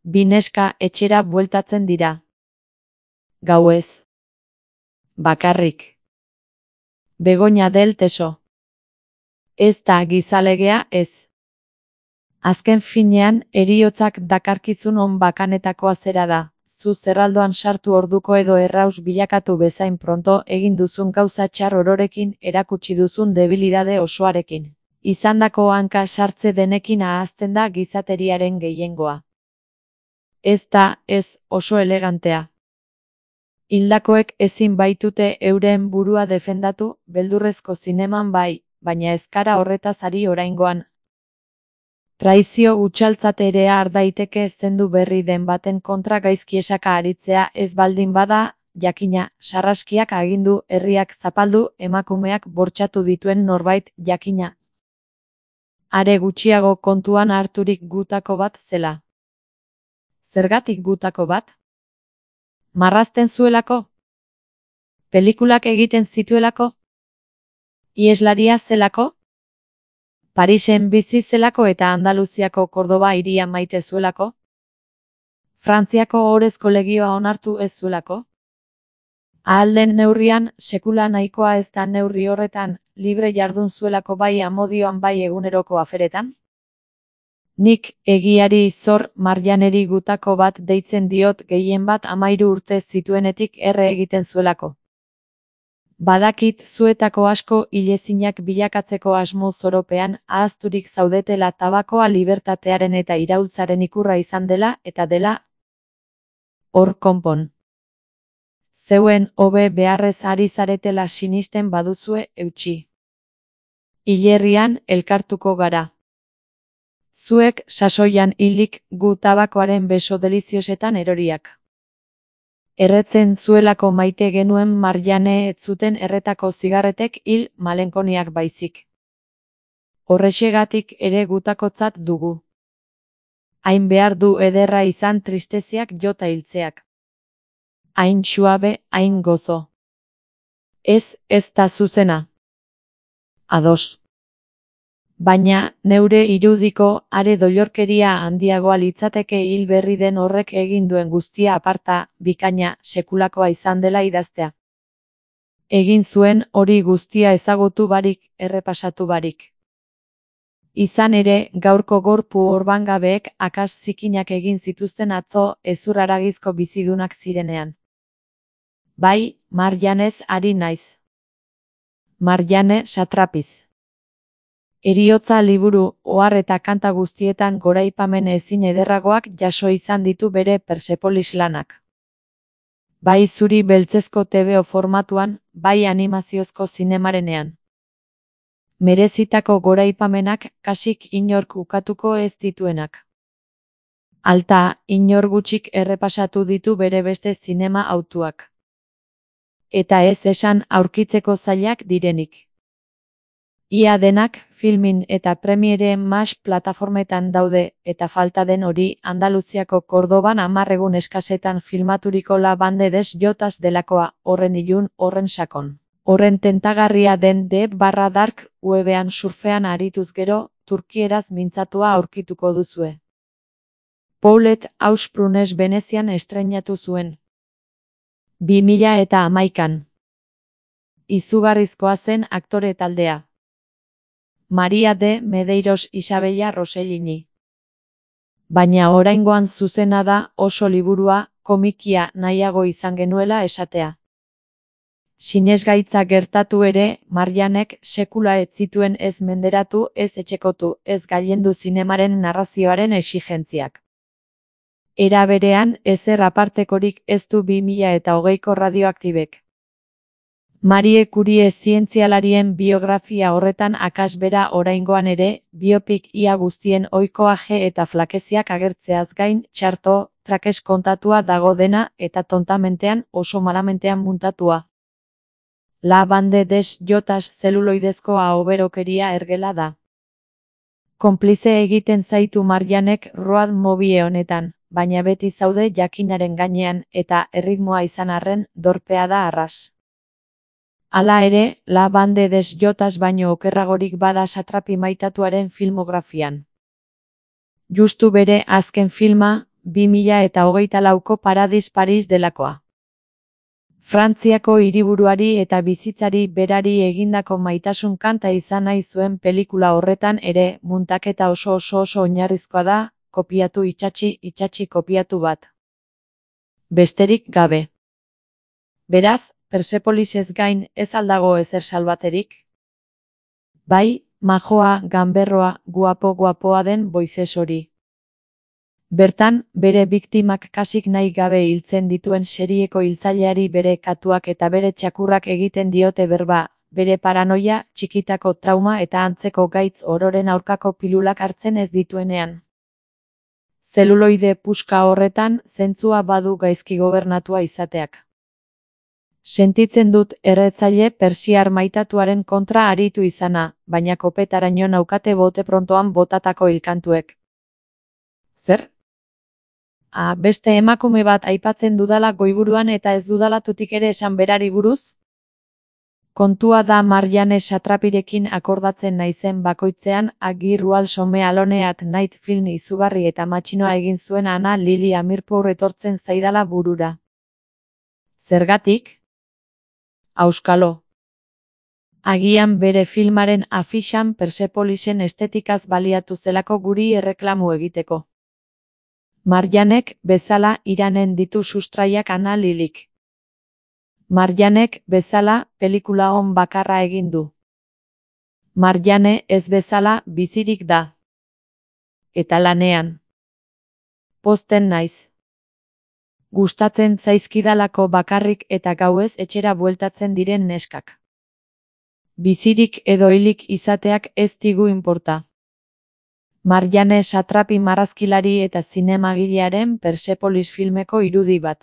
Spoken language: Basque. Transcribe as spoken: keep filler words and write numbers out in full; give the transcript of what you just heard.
Bi neska etxera bueltatzen dira. Gauez. Bakarrik. Begoña del Teso. Ez da gizalegea ez. Azken finean, heriotzak dakarkizun on bakanetakoa zera da. Zu zerraldoan sartu orduko edo erraus bilakatu bezain pronto egin duzun gauza txar ororekin erakutsi duzun debilidade osoarekin. Izandako hanka sartze denekin ahazten da gizateriaren gehiengoa. Ez da, ez, oso elegantea. Hildakoek ezin baitute euren burua defendatu, beldurrezko zineman bai, baina ez gara horretaz ari oraingoan. Traizio hutsaltzat ere har daiteke zendu berri den baten kontra gaizki esaka aritzea ez baldin bada, jakina, sarraskiak agindu, herriak zapaldu, emakumeak bortxatu dituen norbait, jakina. Are gutxiago kontuan harturik gutako bat zela. Zergatik gutako bat? Marrazten zuelako? Pelikulak egiten zituelako? Ieslaria zelako? Parisen bizi zelako eta Andaluziako Kordoba hiria maite zuelako? Frantziako Ohorezko Legioa onartu ez zuelako? Ahal den neurrian, sekula nahikoa ez da neurri horretan, libre jardun zuelako bai amodioan bai eguneroko aferetan? Nik, egiari zor, Marjaneri gutako bat deitzen diot gehien bat amairu urte zituenetik erre egiten zuelako. Badakit zuetako asko hilezinak bilakatzeko asmo zoropean ahazturik zaudetela tabakoa libertatearen eta iraultzaren ikurra izan dela eta dela. Hor konpon. Zeuen hobe beharrez ari zaretela sinisten baduzue eutsi. Hilerrian elkartuko gara. Zuek sasoian hilik gu tabakoaren beso deliziosetan eroriak. Erretzen zuelako maite genuen Marjane ez zuten erretako zigarretek hil malenkoniak baizik. Horrexegatik ere gutakotzat dugu. Hain behar du ederra izan tristeziak jota hiltzeak. Hain suabe, hain gozo. Ez, ez da zuzena. Ados. Baina, neure irudiko, are doilorkeria handiagoa litzateke hil berri den horrek egin duen guztia aparta, bikaina, sekulakoa izan dela idaztea. Egin zuen hori guztia ezagutu barik, errepasatu barik. Izan ere, gaurko gorpu orbangabeek akas zikinak egin zituzten atzo ezurraragizko bizidunak zirenean. Bai, Marjanez ari naiz. Marjane satrapiz. Heriotza liburu, ohar eta kanta guztietan goraipamen ezin ederragoak jaso izan ditu bere Persepolis lanak. Bai zuri beltzezko tebeo formatuan, bai animaziozko zinemarenean. Merezitako goraipamenak kasik inork ukatuko ez dituenak. Alta, inor gutxik errepasatu ditu bere beste zinema autuak. Eta ez esan aurkitzeko zailak direnik. Ia denak, filmin eta premiere mas plataformetan daude, eta falta den hori, Andaluziako Kordoban hamar egun eskasetan filmaturiko La Bande des Jotas delakoa, horren ilun, horren sakon. Horren tentagarria den D barra dark webean surfean arituz gero, turkieraz mintzatua aurkituko duzue. Paulette Ausprunes Venezian estreinatu zuen. bi mila eta hamaikan. Izugarrizkoa zen aktore taldea. Maria de Medeiros Isabella Rossellini. Baina oraingoan zuzena da oso liburua, komikia nahiago izan genuela esatea. Sinesgaitza gertatu ere, Marjanek sekula ez zituen ez menderatu, ez etxekotu, ez gailendu zinemaren narrazioaren exigentziak. Era berean, ezer apartekorik ez du bi mila eta hogeiko radioaktibek. Marie Curie zientzialarien biografia horretan akasbera oraingoan ere, biopik ia guztien ohikoaje eta flakeziak agertzeaz gain, txarto, trakes kontatua dago dena eta tontamentean oso malamentean muntatua. La Bande des Jotas zeluloidezko ahoberokeria ergela da. Konplize egiten zaitu Marjanek road movie honetan, baina beti zaude jakinaren gainean eta erritmoa izan arren dorpea da arras. Hala ere, La Bande des Jotas baino okerragorik bada satrapi maitatuaren filmografian. Justu bere azken filma, bi mila eta hogeita lauko Paradis Paris delakoa. Frantziako hiriburuari eta bizitzari berari egindako maitasun kanta izan nahi zuen pelikula horretan ere muntaketa oso oso oso oinarrizkoa da, kopiatu itsatsi itsatsi kopiatu bat. Besterik gabe. Beraz, Persepolisez gain ez aldago ezer salbaterik? Bai, majoa, ganberroa, guapo guapoa den Boizes hori. Bertan, bere biktimak kasik nahi gabe hiltzen dituen serieko hiltzaileari bere katuak eta bere txakurrak egiten diote berba, bere paranoia, txikitako trauma eta antzeko gaitz ororen aurkako pilulak hartzen ez dituenean. Zeluloide puska horretan, zentzua badu gaizki gobernatua izateak. Sentitzen dut erretzaile persiar maitatuaren kontra aritu izana, baina kopetaraino naukate bote prontoan botatako hilkantuek. Zer? Ah, beste emakume bat aipatzen dudala goiburuan eta ez dudala tutik ere esan berari buruz? Kontua da Marjane Satrapirekin akordatzen naizen bakoitzean Agirrual some aloneat night film izugarri eta matxinoa egin zuen Ana Lili Amirpour etortzen zaidala burura. Zergatik? Auskalo. Agian bere filmaren afixan Persepolisen estetikaz baliatu zelako guri erreklamu egiteko. Marjanek bezala iranen ditu sustraiak Ana Lilik. Marjanek bezala pelikula on bakarra egin du. Marjane ez bezala bizirik da. Eta lanean. Pozten naiz. Gustatzen zaizkidalako bakarrik eta gauez etxera bueltatzen diren neskak. Bizirik edo hilik izateak ez digu inporta. Marjane Satrapi marrazkilari eta zinemagilearen Persepolis filmeko irudi bat.